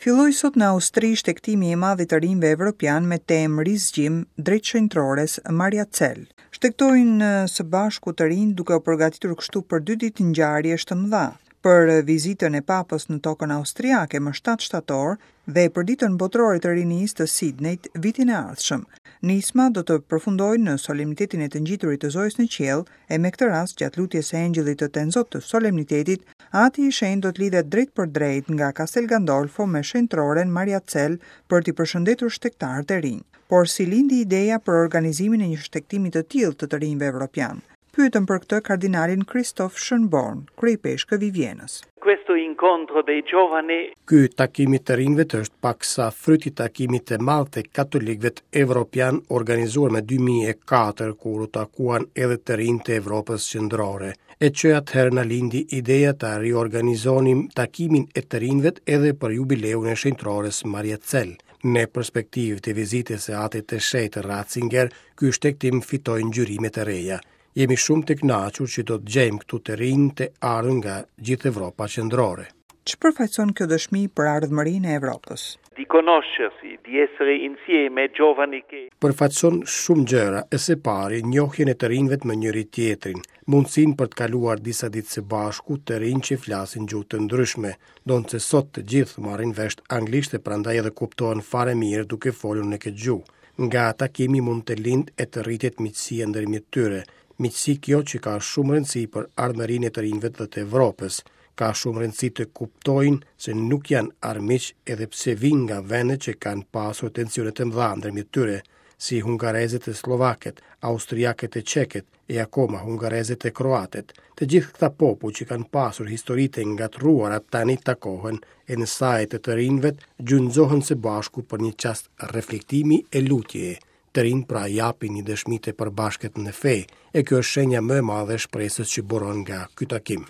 Filloi sot në Austri shtegtimi i madh i të rinjve evropianë me temë Rizgjim drejt shenjtërores Mariazell. Shtegtojnë së bashku të rinjtë duke u përgatitur kështu për dy ditë ngjarjesh të mëdha, për vizitën e Papës në tokën austriake më 7 shtator dhe për Ditën Botërore të Rinisë të Sidnejt vitin e ardhshëm. Nisma do të përfundojë në solemnitetin e të Ngjiturit të Zojës në Qiell e me këtë rast gjatë lutjes së Engjëllit të Tenzot të solemnitetit, Ati i Shenjtë do të lidhet drejtpërdrejt nga Castel Gandolfo me shenjtëroren Mariazell për t'i përshëndetur shtegtarët e rinj. Por si lindi ideja për organizimin e një shtegtimi të tillë të të rinjve evropianë? Pyetëm për këtë kardinalin Christoph Schönborn, kryeipeshkëv i Vjenës. Questo incontro dei giovani. Ky takim i të rinjve është paksa fryt i takimit të madh të katolikëve evropianë organizuar më 2004 kur u takuan edhe të rinjtë e Evropës Qendrore. E që atëherë na lindi ideja ta riorganizonim takimin e të rinjve edhe për jubileun e shenjtërores Mariazell. Në perspektivë të vizitës së Atit të Shenjtë Ratzinger, ky shtegtim fitoi ngjyrime të reja. Jemi shumë të kënaqur që do të gjejmë këtu të rinj të ardhur nga gjithë Evropa Qendrore. Ç'përfaqëson kjo dëshmi për ardhmërinë e Evropës? Di conoscersi, di essere insieme giovani che. Përfaqëson shumë gjëra, e së pari njohjen e të rinjve me njëri-tjetrin, mundësinë për të kaluar disa ditë së bashku të rinj që flasin gjuhë të ndryshme, ndonëse sot të gjithë marrin vesh anglisht e prandaj edhe kuptohen fare mirë duke folur në këtë gjuhë. Nga takimi mund të lindë e të rritet miqësia ndërmjet tyre, miqësi kjo që ka shumë rëndësi për ardhmërinë e të rinjve dhe të Evropës. Ka shumë rëndësi të kuptojnë se nuk janë armiq edhe pse vijnë nga vende që kanë pasur tensione të mëdha ndërmjet tyre, si hungarezët e sllovakët, austriakët e çekët, e akoma hungarezët e kroatët. Të gjithë këta popuj që kanë pasur histori të ngatërruara tani takohen e në saje të të rinjve gjunjëzohen së bashku për një çast reflektimi e lutjeje. Të rinjtë pra japin një dëshmi të përbashkët në fe, e kjo është shenja më e madhe e shpresës që buron nga ky takim.